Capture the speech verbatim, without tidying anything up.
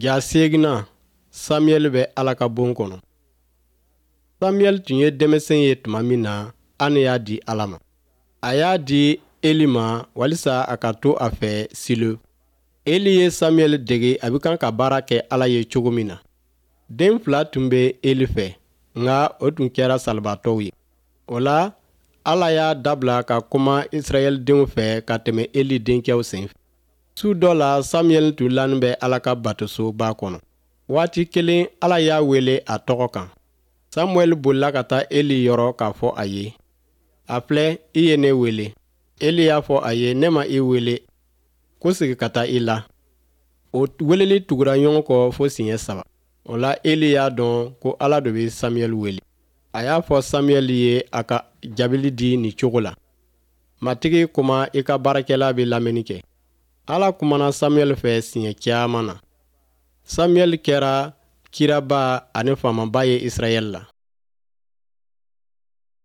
Ja seeginnan, Samuyɛli bɛ Ala ka bon kɔnɔ. Samuyɛli tun ye denmisɛn ye tuma min na, Ane y'a di Ala ma. A y'a di Eli ma walisa a ka to a fɛ Silo. Eli ye Samuyɛli dege a bɛ kan ka baara kɛ Ala ye cogo min na. Den fila tun bɛ Eli fɛ, nka o tun kɛra salibaatɔw ye. O la, Ala y'a dabila ka kuma Israɛldenw fɛ ka tɛmɛ Eli denkɛw sen fɛ. Su dɔ la, Samuyɛli tun lanin bɛ Ala ka batosoba kɔnɔ. Waati kelen, Ala y'a wele a tɔgɔ kan. Samuɛli bolila ka taa Eli yɔrɔ k'a fɔ a ye: A filɛ, i ye ne wele. Eli y'a fɔ a ye: Ne ma i wele, ko sigi ka taa i la. O weleli tugura ɲɔgɔn kɔ fo siɲɛ saba. O la, Eli y'a dɔn ko Ala de bɛ Samuɛli wele. A y'a fɔ Samuɛli ye a ka jaabili di nin cogo la: Matigi kuma, i ka baarakɛla bɛ lamɛnni kɛ. Ala kumana Samuɛli fɛ siɲɛ caman na. Samuɛli kɛra kiraba ani faamaba ye Israɛl la.